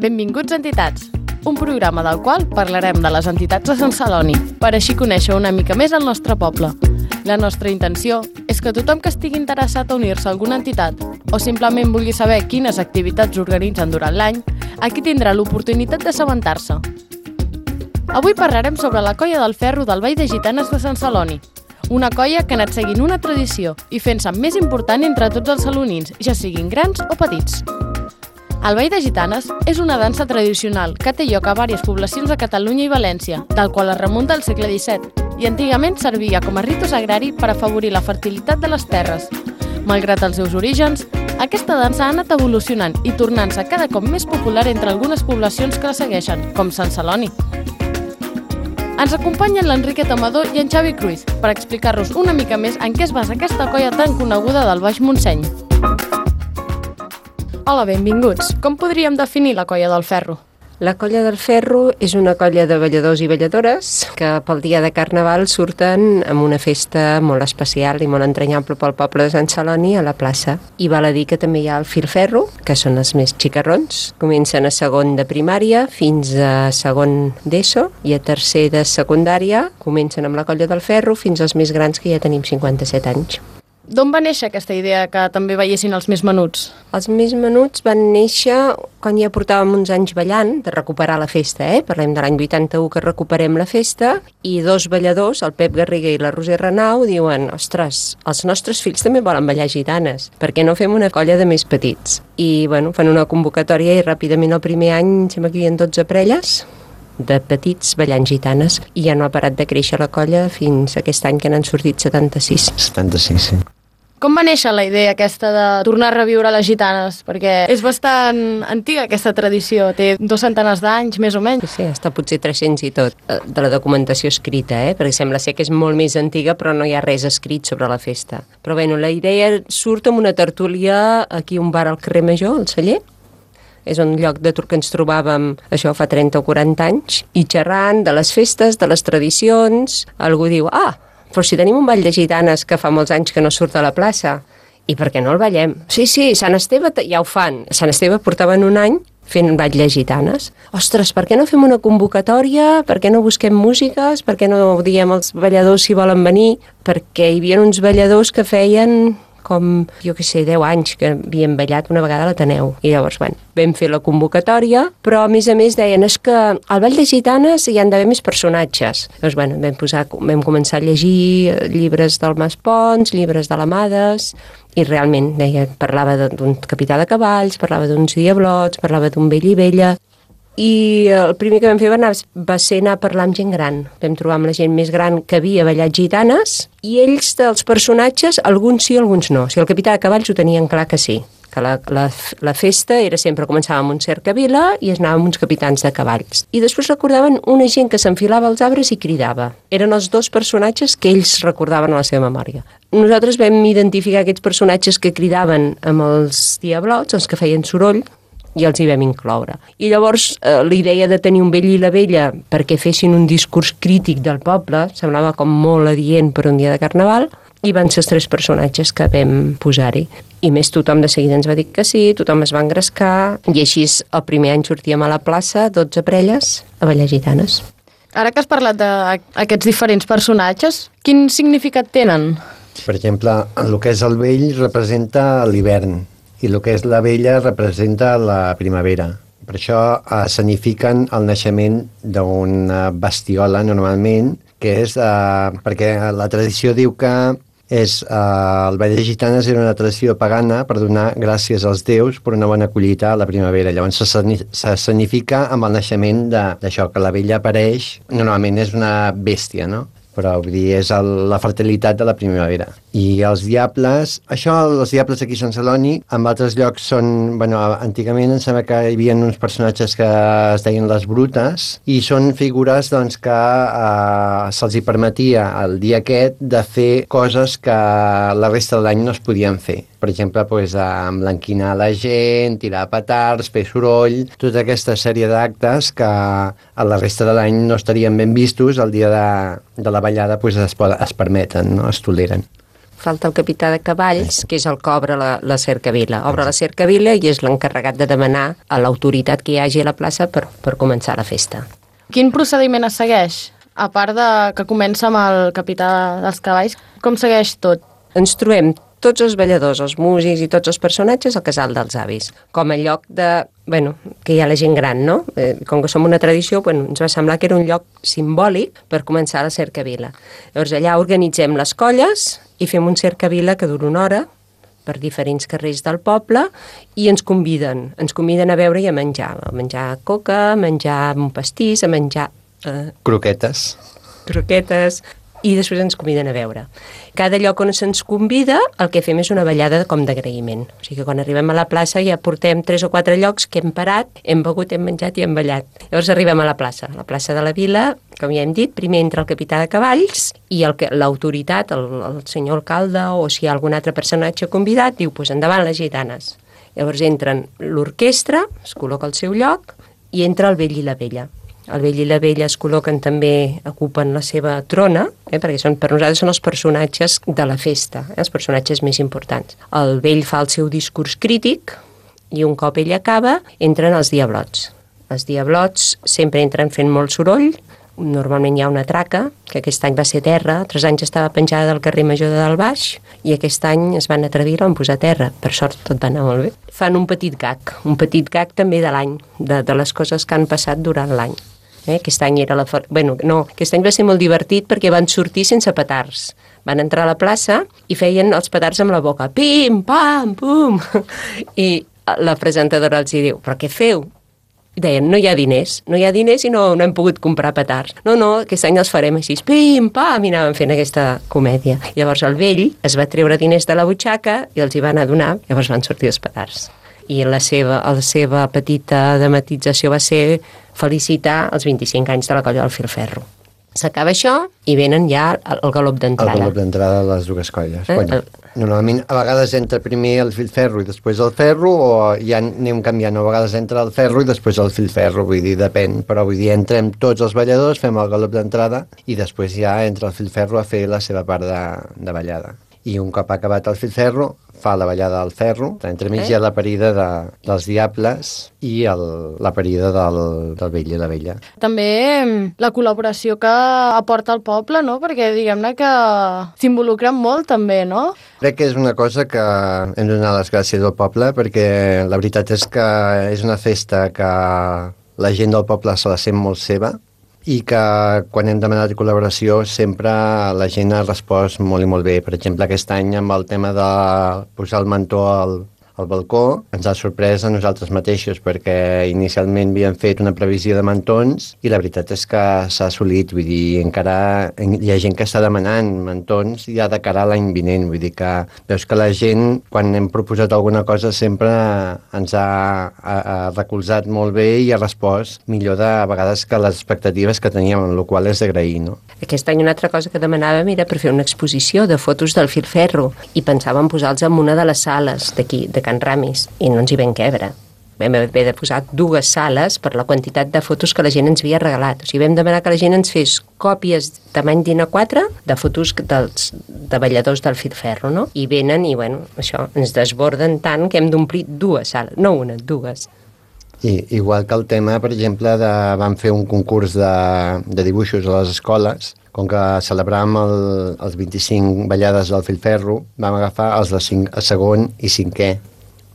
Benvinguts a Entitats, un programa del qual parlarem de les entitats de Sant Celoni, per així conèixer una mica més el nostre poble. La nostra intenció és que tothom que estigui interessat a unir-se a alguna entitat o simplement vulgui saber quines activitats organitzen durant l'any, aquí tindrà l'oportunitat d'assabentar-se. Avui parlarem sobre la Colla del Ferro del Ball de Gitanes de Sant Celoni, una colla que ha anat seguint una tradició i fent-se més important entre tots els salonins, ja siguin grans o petits. El Ball de Gitanes és una dansa tradicional que té lloc a diverses poblacions de Catalunya i València, del qual es remunta al segle XVII, i antigament servia com a ritus agrari per afavorir la fertilitat de les terres. Malgrat els seus orígens, aquesta dansa ha anat evolucionant i tornant-se cada cop més popular entre algunes poblacions que la segueixen, com Sant Celoni. Ens acompanyen l'Enriquet Amador i en Xavi Cruz per explicar-nos una mica més en què es basa aquesta colla tan coneguda del Baix Montseny. Hola, benvinguts. Com podríem definir la Colla del Ferro? La Colla del Ferro és una colla de balladors i balladores que pel dia de Carnaval surten amb una festa molt especial i molt entranyable pel poble de Sant Celoni a la plaça. I val a dir que també hi ha el filferro, que són els més xicarrons. Comencen a segon de primària fins a segon d'ESO i a tercer de secundària comencen amb la Colla del Ferro fins als més grans, que ja tenim 57 anys. D'on va néixer aquesta idea que també ballessin els més menuts? Els més menuts van néixer quan ja portàvem uns anys ballant, de recuperar la festa, Parlem de l'any 81 que recuperem la festa, i dos balladors, el Pep Garriga i la Roser Renau, diuen: ostres, els nostres fills també volen ballar gitanes, per què no fem una colla de més petits? I, fan una convocatòria i ràpidament el primer any sembla que hi havia 12 parelles de petits ballant gitanes, i ja no ha parat de créixer la colla fins aquest any que n'han sortit 76. 76, sí. Com va néixer la idea aquesta de tornar a reviure les gitanes? Perquè és bastant antiga aquesta tradició, té 200 d'anys més o menys. Sí, està potser 300 i tot, de la documentació escrita, perquè sembla ser que és molt més antiga, però no hi ha res escrit sobre la festa. Però la idea surt amb una tertúlia aquí a un bar al carrer Major, al Celler. És un lloc de que ens trobàvem, això fa 30 o 40 anys, i xerrant de les festes, de les tradicions. Algú diu: però si tenim un ball de gitanes que fa molts anys que no surt a la plaça, i per què no el ballem? Sí, Sant Esteve ja ho fan. Sant Esteve portaven un any fent ball de gitanes. Ostres, per què no fem una convocatòria? Per què no busquem músiques? Per què no diem als balladors si volen venir? Perquè hi havia uns balladors que feien com, 10 anys que havien ballat una vegada a l'Ateneu. I llavors, vam fer la convocatòria, però a més deien: és que al ball de gitanes hi han d'haver més personatges. Llavors, vam començar a llegir llibres del Mas Pons, llibres de l'Amades, i realment parlava d'un capità de cavalls, parlava d'uns diablots, parlava d'un vell i vella. I el primer que vam fer va ser anar a parlar amb gent gran. Vam trobar amb la gent més gran que havia ballat gitanes, i ells, dels personatges, alguns sí, alguns no. Si el capità de cavalls ho tenien clar que sí, que la festa era sempre, començava amb un cercavila i es anava amb uns capitans de cavalls. I després recordaven una gent que s'enfilava als arbres i cridava. Eren els dos personatges que ells recordaven a la seva memòria. Nosaltres vam identificar aquests personatges que cridaven amb els diablots, els que feien soroll, i els hi vam incloure. I llavors la idea de tenir un vell i la vella perquè fessin un discurs crític del poble semblava com molt adient per un dia de Carnaval, i van ser els 3 personatges que vam posar-hi. I més, tothom de seguida ens va dir que sí, tothom es va engrescar, i així el primer any sortíem a la plaça, 12 parelles, a ballar gitanes. Ara que has parlat d'aquests diferents personatges, quin significat tenen? Per exemple, el que és el vell representa l'hivern, i el que és la vella representa la primavera. Per això escenifiquen el naixement d'una bestiola, normalment, que és perquè la tradició diu que el ball de gitanes era una tradició pagana per donar gràcies als déus per una bona collita a la primavera. Llavors s'escenifica amb el naixement d'això, que la vella apareix, normalment és una bèstia, no? Però vull dir, és la fertilitat de la primavera. I els diables, els diables aquí a Sant Celoni, en altres llocs són, antigament em sembla que hi havia uns personatges que es deien les brutes, i són figures que se'ls hi permetia el dia aquest de fer coses que la resta de l'any no es podien fer. Per exemple, emblanquinar la gent, tirar petards, fer soroll, tota aquesta sèrie d'actes que a la resta de l'any no estarien ben vistos, el dia de la ballada es permeten, no? Es toleren. falta el capità de cavalls, que és el que obre la cercavila. Obre la cercavila i és l'encarregat de demanar a l'autoritat que hi hagi a la plaça per començar la festa. Quin procediment es segueix? A part de que comença amb el capità dels cavalls, com segueix tot? Ens trobem tots els balladors, els músics i tots els personatges al casal dels avis, com a lloc de, que hi ha la gent gran, no? Com que som una tradició, ens va semblar que era un lloc simbòlic per començar la cercavila. Llavors allà organitzem les colles i fem un cercavila que dura una hora per diferents carrers del poble i ens conviden a beure i a menjar coca, a menjar un pastís, a menjar... Croquetes, i després ens conviden a beure. Cada lloc on se'ns convida, el que fem és una ballada com d'agraïment. O sigui que quan arribem a la plaça ja portem 3 o 4 llocs que hem parat, hem begut, hem menjat i hem ballat. Llavors arribem a la plaça de la vila, com ja hem dit, primer entra el capità de cavalls i l'autoritat, el senyor alcalde o si hi ha algun altre personatge convidat, diu, endavant les gitanes. Llavors entren l'orquestra, es col·loca al seu lloc i entra el vell i la vella. El vell i la vella es col·loquen també, ocupen la seva trona, perquè per nosaltres són els personatges de la festa, els personatges més importants. El vell fa el seu discurs crític i un cop ell acaba, entren els diablots. Els diablots sempre entren fent molt soroll, normalment hi ha una traca, que aquest any va ser terra, 3 anys estava penjada del carrer Major de Dalt Baix, i aquest any es van atrevir a posar terra. Per sort tot va anar molt bé. Fan un petit gag també de l'any, de les coses que han passat durant l'any. Aquest any aquest any va ser molt divertit perquè van sortir sense petards. Van entrar a la plaça i feien els petards amb la boca. Pim, pam, pum! I la presentadora els diu, però què feu? I deien, no hi ha diners i no hem pogut comprar petards. No, aquest any els farem així, pim, pam, i anàvem fent aquesta comèdia. Llavors el vell es va treure diners de la butxaca i els hi van a donar, llavors van sortir els petards. I la seva petita dramatització va ser felicitar els 25 anys de la colla del Filferro. S'acaba això i venen ja el galop d'entrada. El galop d'entrada de les dues colles. Normalment, a vegades entra primer el Filferro i després el ferro, o ja anem canviant, a vegades entra el ferro i després el Filferro, vull dir, depèn, però vull dir, entrem tots els balladors, fem el galop d'entrada i després ja entra el Filferro a fer la seva part de ballada. I un cop acabat el Filferro, fa la ballada del ferro, entremig hi ha la parida dels diables i la parida del vell i la vella. També la col·laboració que aporta el poble, no? Perquè diguem-ne que s'involucren molt també, no? Crec que és una cosa que hem de donar les gràcies al poble perquè la veritat és que és una festa que la gent del poble se la sent molt seva i que quan hem demanat col·laboració sempre la gent ha respost molt i molt bé. Per exemple, aquest any amb el tema de posar el mantó al balcó ens ha sorprès a nosaltres mateixos perquè inicialment havíem fet una previsió de mantons i la veritat és que s'ha assolit, vull dir, encara hi ha gent que està demanant mantons ja de cara a l'any vinent, vull dir que veus que la gent, quan hem proposat alguna cosa sempre ens ha recolzat molt bé i ha respost millor a vegades que les expectatives que teníem, el qual és d'agrair, no? Aquest any una altra cosa que demanàvem era per fer una exposició de fotos del Filferro i pensàvem posar-los en una de les sales d'aquí, de Can Ramis, i no ens hi vam quebre. Vam haver de posar 2 sales per la quantitat de fotos que la gent ens havia regalat. O sigui, vam demanar que la gent ens fes còpies tamany d'A4 de fotos de balladors del Filferro, no? I venen i, això, ens desborden tant que hem d'omplir 2 sales, no una, 2. I igual que el tema, per exemple, vam fer un concurs de dibuixos a les escoles, com que celebràvem els 25 ballades del Filferro, vam agafar els de segon i 5è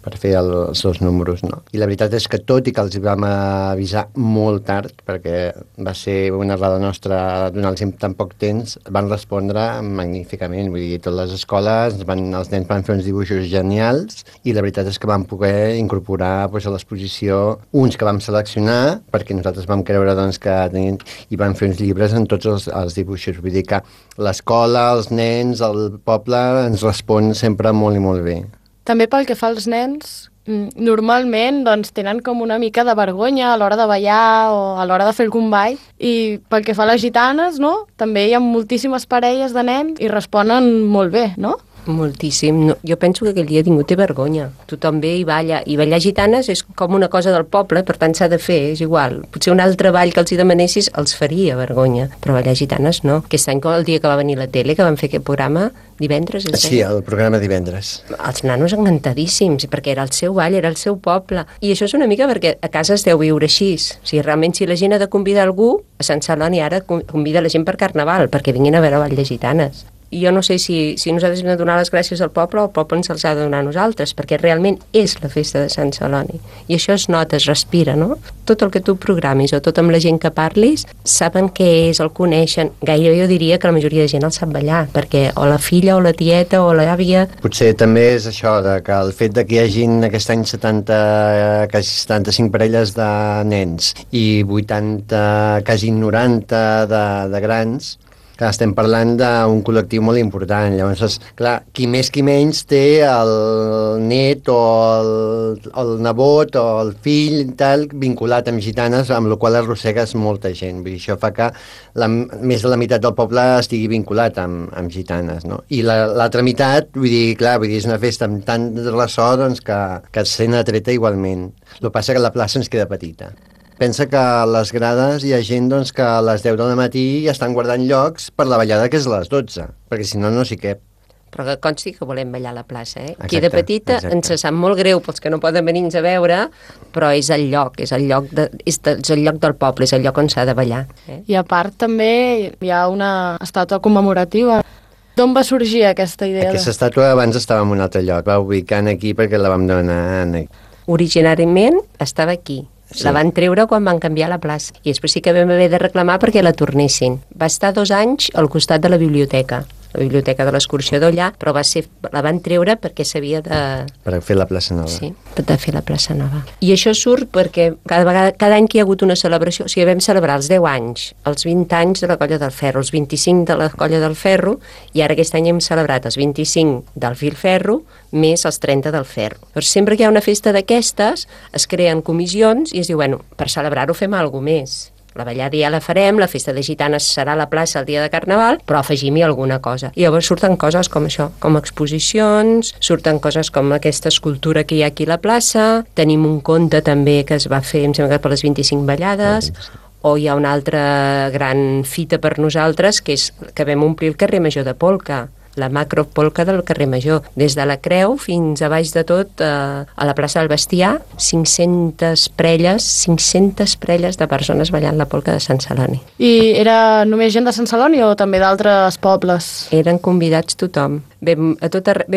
per fer els 2 números, no? I la veritat és que tot i que els vam avisar molt tard, perquè va ser una errada nostra donar-los tan poc temps, van respondre magníficament, vull dir, totes les escoles, els nens van fer uns dibuixos genials i la veritat és que vam poder incorporar a l'exposició uns que vam seleccionar, perquè nosaltres vam creure que tenien, i vam fer uns llibres en tots els dibuixos, vull dir que l'escola, els nens, el poble ens respon sempre molt i molt bé. També pel que fa als nens, normalment tenen com una mica de vergonya a l'hora de ballar o a l'hora de fer algun ball. I pel que fa a les gitanes, no? També hi ha moltíssimes parelles de nens i responen molt bé, no? Moltíssim. No, jo penso que aquell dia ningú té vergonya. Tothom ve i balla. I ballar gitanes és com una cosa del poble, per tant s'ha de fer, és igual. Potser un altre ball que els hi demanessis els faria vergonya, però ballar gitanes no. Aquest any, el dia que va venir la tele, que van fer aquest programa, divendres... Sí, el programa divendres. Els nanos encantadíssims, perquè era el seu ball, era el seu poble. I això és una mica perquè a casa es deu viure així. O sigui, realment, si la gent ha de convidar algú, a Sant Celoni ara convida la gent per Carnaval, perquè vinguin a veure ball de gitanes. I jo no sé si nosaltres hem de donar les gràcies al poble o el poble ens els ha de donar a nosaltres, perquè realment és la festa de Sant Celoni. I això es nota, es respira, no? Tot el que tu programis o tot amb la gent que parlis, saben què és, el coneixen. Gairebé jo diria que la majoria de gent el sap ballar, perquè o la filla o la tieta o l'àvia... Potser també és això, que el fet de que hi hagin aquest any quasi 75 parelles de nens i 80, quasi 90 de grans, que estem parlant d'un col·lectiu molt important. Llavors, clar, qui més qui menys té el net o el nebot o el fill i tal vinculat amb gitanes, amb la qual arrossegues molta gent. Vull dir, això fa que més de la meitat del poble estigui vinculat amb gitanes, no? I l'altra meitat, vull dir, és una festa amb tant de ressò doncs, que es sent atreta igualment. El que passa que la plaça ens queda petita. Pensa que a les grades hi ha gent doncs, que a les 10 del matí ja estan guardant llocs per la ballada que és a les 12, perquè si no, no s'hi cap. Però que consti que volem ballar a la plaça, eh? Exacte, Aquí de petita ens sap molt greu pels que no poden venir-nos a veure, però és el lloc, és el lloc del poble, és el lloc on s'ha de ballar. I a part també hi ha una estàtua commemorativa. D'on va sorgir aquesta idea? Aquesta estàtua abans estava en un altre lloc, va ubicant aquí perquè la vam donar aquí. Originàriament estava aquí. Sí. La van treure quan van canviar la plaça i després sí que vam haver de reclamar perquè la tornessin. Va estar 2 anys al costat de la biblioteca de l'excursió d'Ollà, però la van treure perquè s'havia de... Per fer la plaça nova. Sí, de fer la plaça nova. I això surt perquè cada any que hi ha hagut una celebració, o sigui, vam celebrar els 10 anys, els 20 anys de la Colla del Ferro, els 25 de la Colla del Ferro, i ara aquest any hem celebrat els 25 del Filferro més els 30 del Ferro. Però sempre que hi ha una festa d'aquestes, es creen comissions i es diu, bueno, per celebrar-ho fem alguna cosa més. La ballada ja la farem, la festa de gitanes serà a la plaça el dia de Carnaval, però afegim-hi alguna cosa. I llavors surten coses com això, com exposicions, surten coses com aquesta escultura que hi ha aquí a la plaça, tenim un conte també que es va fer, em sembla que per les 25 ballades, o hi ha una altra gran fita per nosaltres, que és que vam omplir el carrer Major de Polca, la macropolca del carrer Major, des de la Creu fins a baix de tot a la plaça del Bestiar, 500 parelles de persones ballant la polca de Sant Celoni. I era només gent de Sant Celoni o també d'altres pobles? Eren convidats tothom. Vam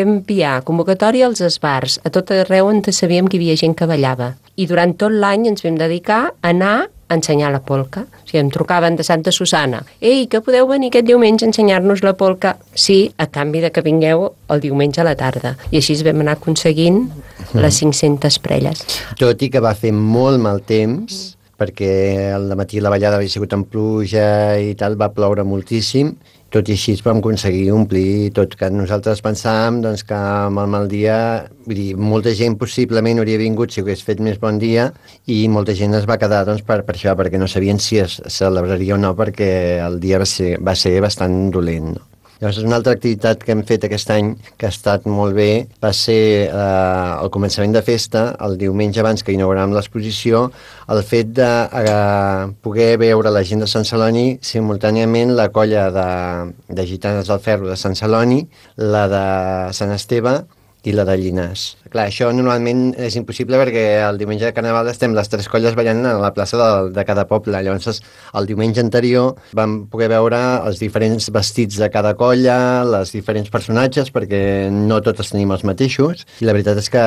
enviar convocatòria als esbars, a tot arreu on sabíem que hi havia gent que ballava. I durant tot l'any ens vam dedicar a anar a ensenyar la polca. O sigui, em trucaven de Santa Susana. Ei, que podeu venir aquest diumenge a ensenyar-nos la polca? Sí, a canvi de que vingueu el diumenge a la tarda. I així vam anar aconseguint les 500 parelles. Tot i que va fer molt mal temps, perquè al matí la ballada havia sigut amb pluja i tal, va ploure moltíssim, tot i així vam aconseguir omplir tot, que nosaltres pensàvem doncs, que amb el mal dia, vull dir, molta gent possiblement hauria vingut si hagués fet més bon dia i molta gent es va quedar doncs, per això, perquè no sabien si es celebraria o no, perquè el dia va ser bastant dolent, no? Llavors, una altra activitat que hem fet aquest any, que ha estat molt bé, va ser el començament de festa, el diumenge abans que inauguràvem l'exposició, el fet de poder veure la gent de Sant Celoni simultàniament la colla de gitanes del Ferro de Sant Celoni, la de Sant Esteve i la de Llinars. Clar, això normalment és impossible perquè el diumenge de Carnaval estem les 3 colles ballant a la plaça de cada poble. Llavors, el diumenge anterior vam poder veure els diferents vestits de cada colla, els diferents personatges, perquè no tots tenim els mateixos. I la veritat és que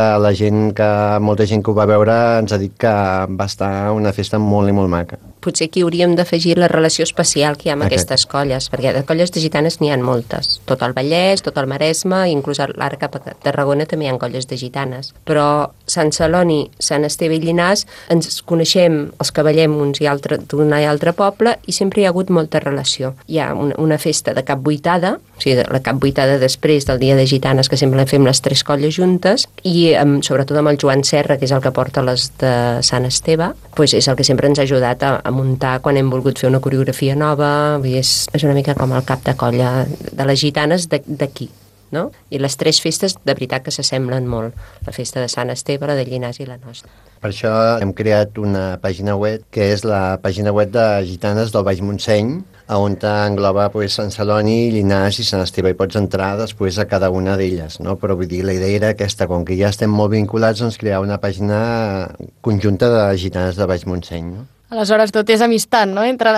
molta gent que ho va veure ens ha dit que va estar una festa molt i molt maca. Potser aquí hauríem d'afegir la relació especial que hi ha amb aquestes colles, perquè de colles de gitanes n'hi ha moltes. Tot el Vallès, tot el Maresme, inclús l'ara cap a Tarragona també hi ha colles de gitanes. Però Sant Celoni, Sant Esteve i Llinars ens coneixem els que ballem uns i altres d'un i altre poble i sempre hi ha hagut molta relació. Hi ha una festa de capvuitada, o sigui, la capvuitada després del dia de gitanes, que sempre la fem les 3 colles juntes, i sobretot amb el Joan Serra, que és el que porta les de Sant Esteve, doncs és el que sempre ens ha ajudat a muntar quan hem volgut fer una coreografia nova. És una mica com el cap de colla de les gitanes d'aquí. no? I les 3 festes de veritat que s'assemblen molt. La festa de Sant Esteve, la de Llinars i la nostra. Per això hem creat una pàgina web, que és la pàgina web de Gitanes del Baix Montseny, on engloba Sant Celoni, Llinars i Sant Esteve, i pots entrar després a cada una d'elles, no? Però vull dir, la idea era aquesta, com que ja estem molt vinculats, doncs crear una pàgina conjunta de Gitanes del Baix Montseny, no? Aleshores, tot és amistat, no?, entre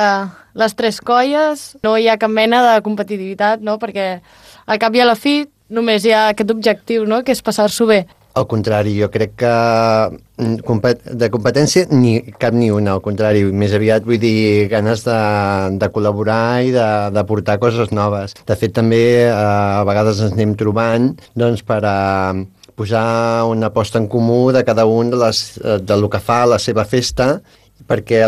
les 3 colles, no hi ha cap mena de competitivitat, no?, perquè al cap i a la fi només hi ha aquest objectiu, no?, que és passar-s'ho bé. Al contrari, jo crec que de competència cap ni una, al contrari, més aviat vull dir ganes de col·laborar i de portar coses noves. De fet, també a vegades ens anem trobant doncs, per posar una aposta en comú de cada un del que fa la seva festa, perquè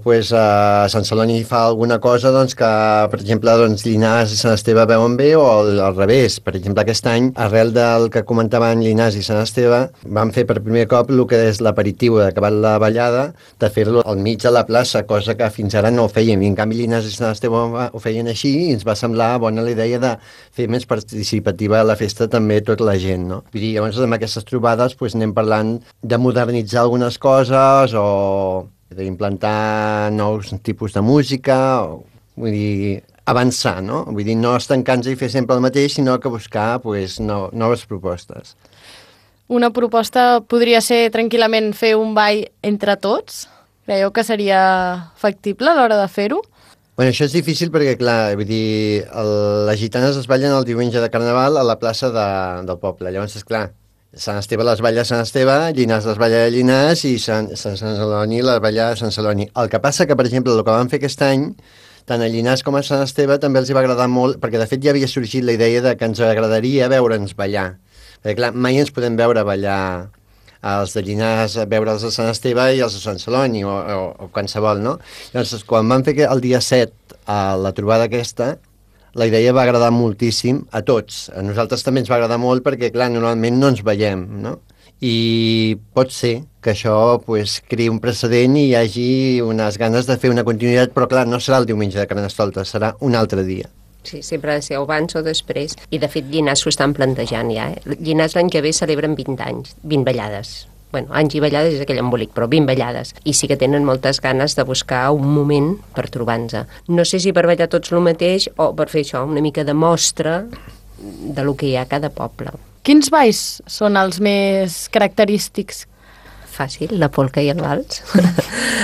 potser a Sant Celoni fa alguna cosa doncs, que, per exemple, doncs, Llinars i Sant Esteve veuen bé, o al revés. Per exemple, aquest any, arrel del que comentaven Llinars i Sant Esteve, vam fer per primer cop el que és l'aperitiu d'acabar la ballada, de fer-lo al mig de la plaça, cosa que fins ara no ho fèiem, i en canvi Llinars i Sant Esteve ho feien així, i ens va semblar bona la idea de fer més participativa a la festa també tota la gent, no? Vull dir, llavors amb aquestes trobades doncs, anem parlant de modernitzar algunes coses, o d'implantar nous tipus de música, vull dir, avançar, no? Vull dir, no estancar-nos i fer sempre el mateix, sinó que buscar noves propostes. Una proposta podria ser tranquil·lament fer un ball entre tots? Creieu que seria factible a l'hora de fer-ho? Bueno, això és difícil perquè, clar, vull dir, les gitanes es ballen el diumenge de Carnaval a la plaça del poble. Llavors, esclar, Sant Esteve les balla a Sant Esteve, Llinars les balla a Llinars i Sant Celoni les balla a Sant Celoni. El que passa que, per exemple, el que vam fer aquest any, tant a Llinars com a Sant Esteve també els hi va agradar molt, perquè de fet ja havia sorgit la idea de que ens agradaria veure'ns ballar. Perquè, clar, mai ens podem veure ballar els de Llinars, veure'ls a Sant Esteve i els de Sant Celoni, o qualsevol, no? Llavors, quan vam fer el dia 7 a la trobada aquesta, la idea va agradar moltíssim a tots. A nosaltres també ens va agradar molt perquè, clar, normalment no ens veiem, no? I pot ser que això creï un precedent i hi hagi unes ganes de fer una continuïtat, però, clar, no serà el diumenge de Carnestoltes, serà un altre dia. Sí, sempre ha de ser abans o després. I, de fet, Llinars s'ho estan plantejant ja. Llinars l'any que ve celebren 20 anys, 20 ballades. Bueno, anys i ballades és aquell embolic, però 20 ballades. I sí que tenen moltes ganes de buscar un moment per trobar-nos. No sé si per ballar tots el mateix o per fer això, una mica de mostra de lo que hi ha a cada poble. Quins balls són els més característics? Fàcil, la polca i el vals.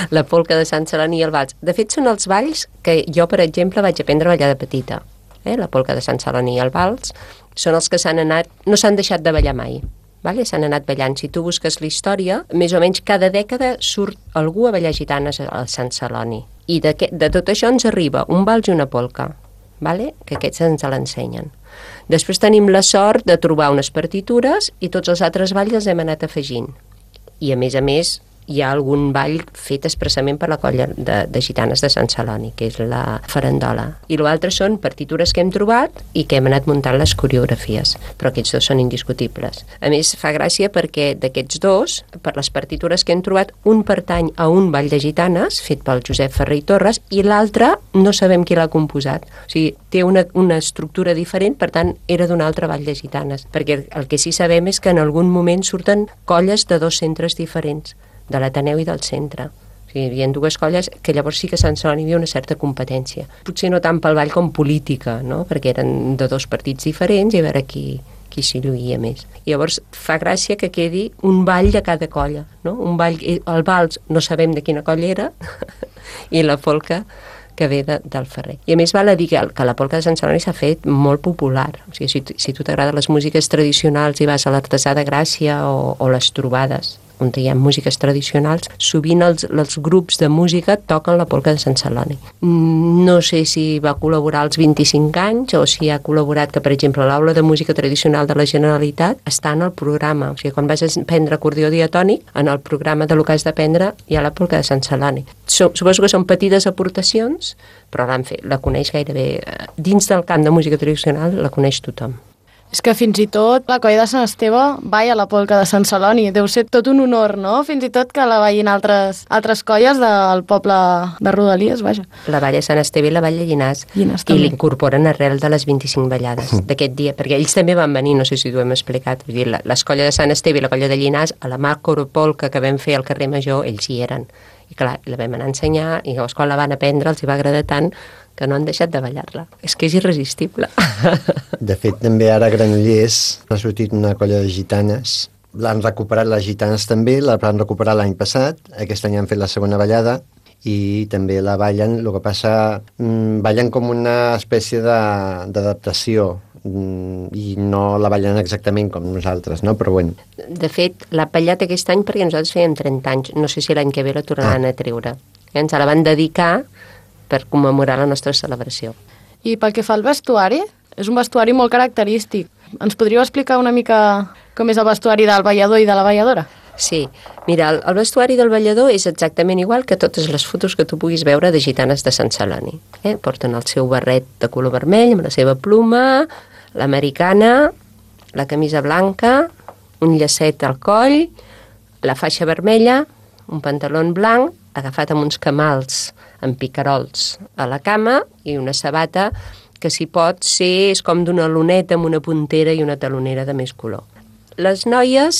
La polca de Sant Celoni i el vals. De fet, són els balls que jo, per exemple, vaig aprendre a ballar de petita. La polca de Sant Celoni i el vals són els que no s'han deixat de ballar mai. Vale? S'han anat ballant. Si tu busques la història, més o menys cada dècada surt algú a ballar gitanes al Sant Celoni. I de tot això ens arriba un vals i una polca, vale? Que aquests ens l'ensenyen. Després tenim la sort de trobar unes partitures i tots els altres balls els hem anat afegint. I a més, hi ha algun ball fet expressament per la colla de gitanes de Sant Celoni, que és la farandola. I l'altre són partitures que hem trobat i que hem anat muntant les coreografies, però aquests dos són indiscutibles. A més, fa gràcia perquè d'aquests dos, per les partitures que hem trobat, un pertany a un ball de gitanes, fet pel Josep Ferrer i Torres, i l'altre no sabem qui l'ha composat. O sigui, té una estructura diferent, per tant, era d'un altre ball de gitanes. Perquè el que sí sabem és que en algun moment surten colles de 2 centres diferents, de l'Ateneu i del centre. O sigui, hi havia 2 colles que llavors sí que a Sant Celoni hi havia una certa competència. Potser no tant pel ball com política, no? Perquè eren de 2 partits diferents i a veure qui s'hi lluïa més. I llavors fa gràcia que quedi un ball de cada colla, no? Un ball, el vals no sabem de quina colla era i la polca que ve del Ferrer. I a més val a dir que la polca de Sant Celoni s'ha fet molt popular. O sigui, si tu t'agraden les músiques tradicionals i vas a l'Artesà de Gràcia o les trobades on hi ha músiques tradicionals, sovint els grups de música toquen la polca de Sant Celoni. No sé si va col·laborar als 25 anys o si ha col·laborat que, per exemple, l'Aula de Música Tradicional de la Generalitat està en el programa. O sigui, quan vas a prendre acordió diatònic, en el programa de lo que has d'aprendre hi ha la polca de Sant Celoni. Suposo que són petites aportacions, però la coneix gairebé. Dins del camp de música tradicional la coneix tothom. És que fins i tot la colla de Sant Esteve balla la polca de Sant Celoni. Deu ser tot un honor, no? Fins i tot que la ballin altres colles del poble de Rodalies, vaja. La balla Sant Esteve i la balla Llinars. I l'incorporen arrel de les 25 ballades d'aquest dia, perquè ells també van venir, no sé si t'ho hem explicat. Vull dir, les colles de Sant Esteve i la colla de Llinars, a la macropolca que vam fer al carrer Major, ells hi eren. I clar, la vam anar a ensenyar i llavors quan la van aprendre els hi va agradar tant que no han deixat de ballar-la. És que és irresistible. De fet, també ara a Granollers ha sortit una colla de gitanes. L'han recuperat les gitanes també, la van recuperar l'any passat. Aquest any han fet la segona ballada i també la ballen. El que passa, ballen com una espècie d'adaptació i no la ballen exactament com nosaltres, no? Però bueno. De fet, l'ha ballat aquest any perquè nosaltres fèiem 30 anys. No sé si l'any que ve la tornaran a treure. Ens la van dedicar per commemorar la nostra celebració. I pel que fa al vestuari, és un vestuari molt característic. Ens podríeu explicar una mica com és el vestuari del ballador i de la balladora? Sí, mira, el vestuari del ballador és exactament igual que totes les fotos que tu puguis veure de gitanes de Sant Celoni. Porten el seu barret de color vermell amb la seva pluma, l'americana, la camisa blanca, un llacet al coll, la faixa vermella, un pantaló blanc, agafat amb uns camals amb picarols a la cama i una sabata que si pot ser és com d'una luneta amb una puntera i una talonera de més color. Les noies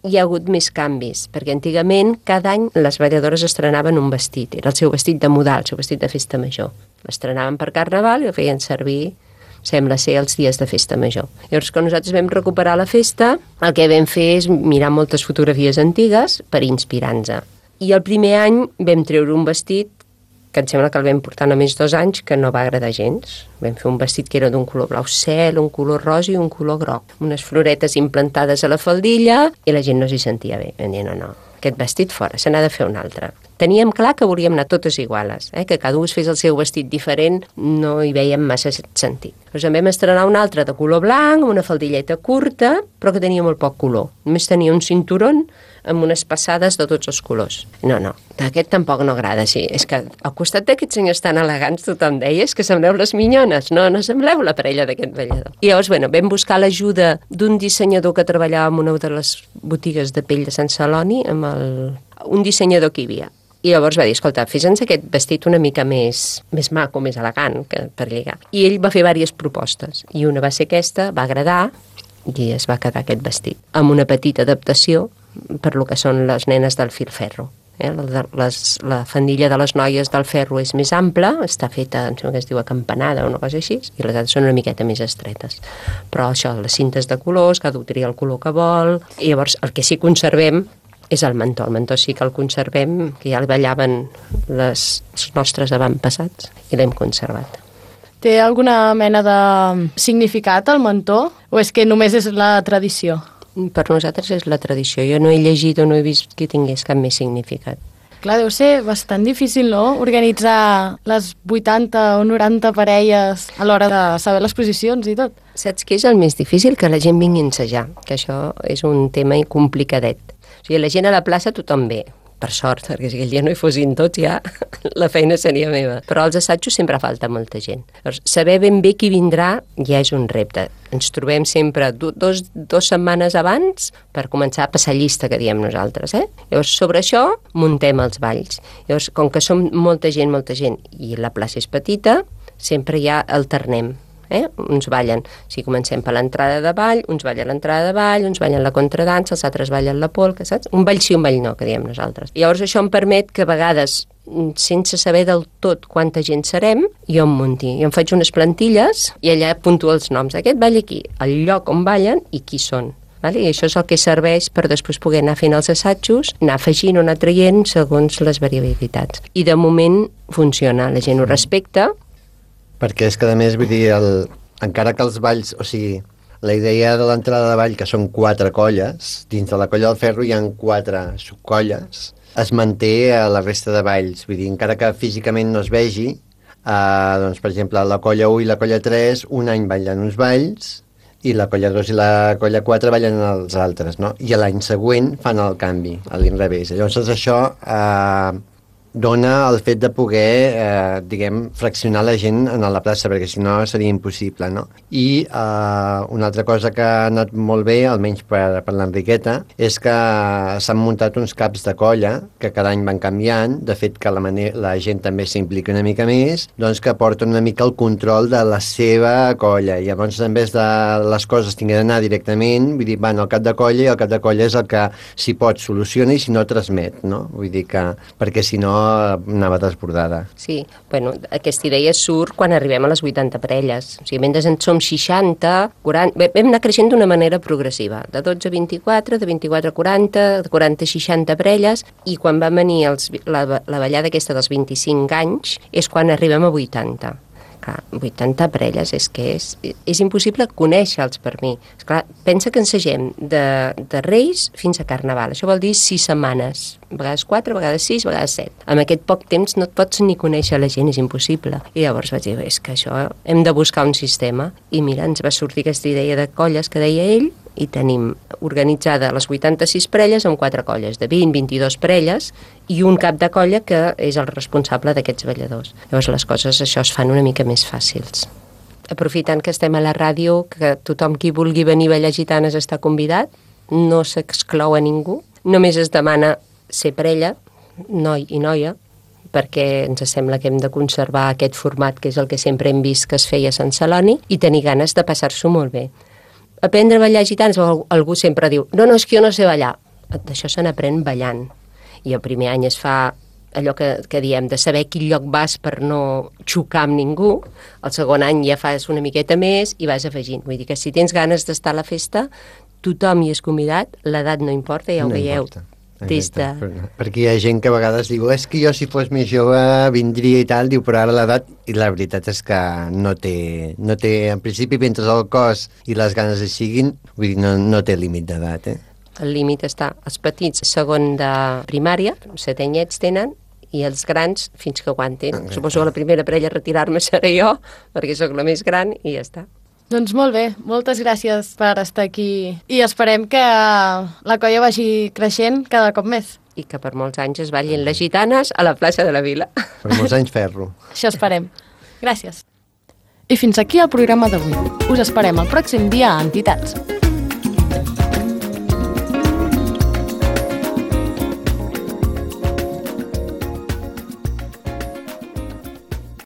hi ha hagut més canvis, perquè antigament cada any les balladores estrenaven un vestit, era el seu vestit de modal, el seu vestit de festa major. L'estrenaven per Carnaval i el feien servir, sembla ser, els dies de festa major. Llavors, quan nosaltres vam recuperar la festa, el que vam fer és mirar moltes fotografies antigues per inspirar-nos. I el primer any vam treure un vestit que em sembla que el vam portar només 2 anys, que no va agradar gens. Vam fer un vestit que era d'un color blau cel, un color rosa i un color groc. Unes floretes implantades a la faldilla i la gent no s'hi sentia bé. Vam dir, no, aquest vestit fora, se n'ha de fer un altre. Teníem clar que volíem anar totes iguales, que cada un es fes el seu vestit diferent, no hi veiem massa sentit. Llavors en vam estrenar un altre de color blanc, amb una faldilleta curta, però que tenia molt poc color. Només tenia un cinturón amb unes passades de tots els colors. No, aquest tampoc no agrada, sí. És que al costat d'aquests senyors tan elegants tothom deia que sembleu les minyones, no sembleu la parella d'aquest ballador. I llavors, vam buscar l'ajuda d'un dissenyador que treballava en una de les botigues de pell de Sant Celoni, amb un dissenyador que hi havia. I llavors va dir, escolta, fes-nos aquest vestit una mica més maco, més elegant per lligar. I ell va fer diverses propostes. I una va ser aquesta, va agradar, i es va quedar aquest vestit. Amb una petita adaptació per lo que són les nenes del filferro. La faldilla de les noies del ferro és més ampla, està feta, em sembla que es diu acampanada o una cosa així, i les altres són una miqueta més estretes. Però això, les cintes de colors, cada un tria el color que vol, i llavors el que sí conservem és el mantó. El mantó sí que el conservem, que ja el ballaven els nostres avantpassats, i l'hem conservat. Té alguna mena de significat el mantó? O és que només és la tradició? Per nosaltres és la tradició. Jo no he llegit o no he vist que tingués cap més significat. Clar, deu ser bastant difícil, no?, organitzar les 80 o 90 parelles a l'hora de saber les posicions i tot. Saps què és el més difícil? Que la gent vingui a ensejar, que això és un tema complicadet. O sigui, la gent a la plaça tothom ve, per sort, perquè si aquell dia no hi fossin tots ja la feina seria meva. Però als assajos sempre falta molta gent. Llavors, saber ben bé qui vindrà ja és un repte. Ens trobem sempre dos setmanes abans per començar a passar llista, que diem nosaltres. Llavors, sobre això muntem els balls. Llavors, com que som molta gent, i la plaça és petita, sempre ja alternem. Uns ballen, si comencem per l'entrada de ball, uns ballen l'entrada de ball, uns ballen la contradansa, els altres ballen la polca, saps? Un ball sí, un ball no, que diem nosaltres. Llavors això em permet que a vegades, sense saber del tot quanta gent serem, jo em munti. Jo em faig unes plantilles i allà puntuo els noms. Aquest ball aquí, el lloc on ballen i qui són. I això és el que serveix per després poder anar fent els assajos, anar afegint o anar traient segons les variabilitats. I de moment funciona, la gent ho respecta. Perquè és que, a més, vull dir, encara que els balls, o sigui, la idea de l'entrada de ball, que són 4 colles, dins de la colla del ferro hi ha 4 subcolles, es manté a la resta de balls. Vull dir, encara que físicament no es vegi, doncs, per exemple, la colla 1 i la colla 3 un any ballen uns balls i la colla 2 i la colla 4 ballen els altres, no? I l'any següent fan el canvi, a l'inrevés. Llavors això dona el fet de poder, fraccionar la gent a la plaça, perquè si no seria impossible, no? I una altra cosa que ha anat molt bé, almenys per l'Enriqueta, és que s'han muntat uns caps de colla que cada any van canviant, de fet que la gent també s'implica una mica més, doncs que porten una mica el control de la seva colla, i llavors en vez de les coses tinguin d'anar directament, vull dir, van al cap de colla i el cap de colla és el que si pot soluciona i si no transmet, no? Vull dir que, perquè si no anava desbordada. Sí, bueno, aquesta idea surt quan arribem a les 80 parelles. O sigui, mentre en som 60, 40... Vam anar creixent d'una manera progressiva, de 12 a 24, de 24 a 40, de 40 a 60 parelles, i quan va venir la ballada aquesta dels 25 anys és quan arribem a 80. Clar, 80 parelles, és que és impossible conèixer-los per mi. Esclar, pensa que ensegem de Reis fins a Carnaval. Això vol dir 6 setmanes. A vegades 4, a vegades 6, a vegades 7. En aquest poc temps no et pots ni conèixer la gent, és impossible. I llavors vaig dir, és que això hem de buscar un sistema. I mira, ens va sortir aquesta idea de colles que deia ell, i tenim organitzada les 86 parelles amb 4 colles, de 20, 22 parelles, i un cap de colla que és el responsable d'aquests balladors. Llavors les coses, això, es fan una mica més fàcils. Aprofitant que estem a la ràdio, que tothom qui vulgui venir a ballar gitanes està convidat, no s'exclou a ningú, només es demana ser parella, noi i noia, perquè ens sembla que hem de conservar aquest format que és el que sempre hem vist que es feia a Sant Celoni i tenir ganes de passar-s'ho molt bé. Aprendre a ballar gitanes, algú sempre diu, no, és que jo no sé ballar. D'això se n'aprèn ballant. I el primer any es fa allò que diem, de saber quin lloc vas per no xocar amb ningú. El segon any ja fas una miqueta més i vas afegint. Vull dir que si tens ganes d'estar a la festa, tothom hi és convidat, l'edat no importa, ja ho veieu. Perquè hi ha gent que a vegades diu és que jo si fos més jove vindria i tal, diu, però ara l'edat, i la veritat és que no té en principi, mentre el cos i les ganes hi siguin, vull dir, no té límit d'edat, El límit està, els petits segon de primària, 7 anyets tenen, i els grans fins que aguanten. Suposo que la primera parella a retirar-me seré jo, perquè sóc la més gran, i ja està. Doncs molt bé, moltes gràcies per estar aquí i esperem que la colla vagi creixent cada cop més. I que per molts anys es ballin les gitanes a la plaça de la Vila. Per molts anys ferro. Això esperem. Gràcies. I fins aquí el programa d'avui. Us esperem el pròxim dia a Entitats.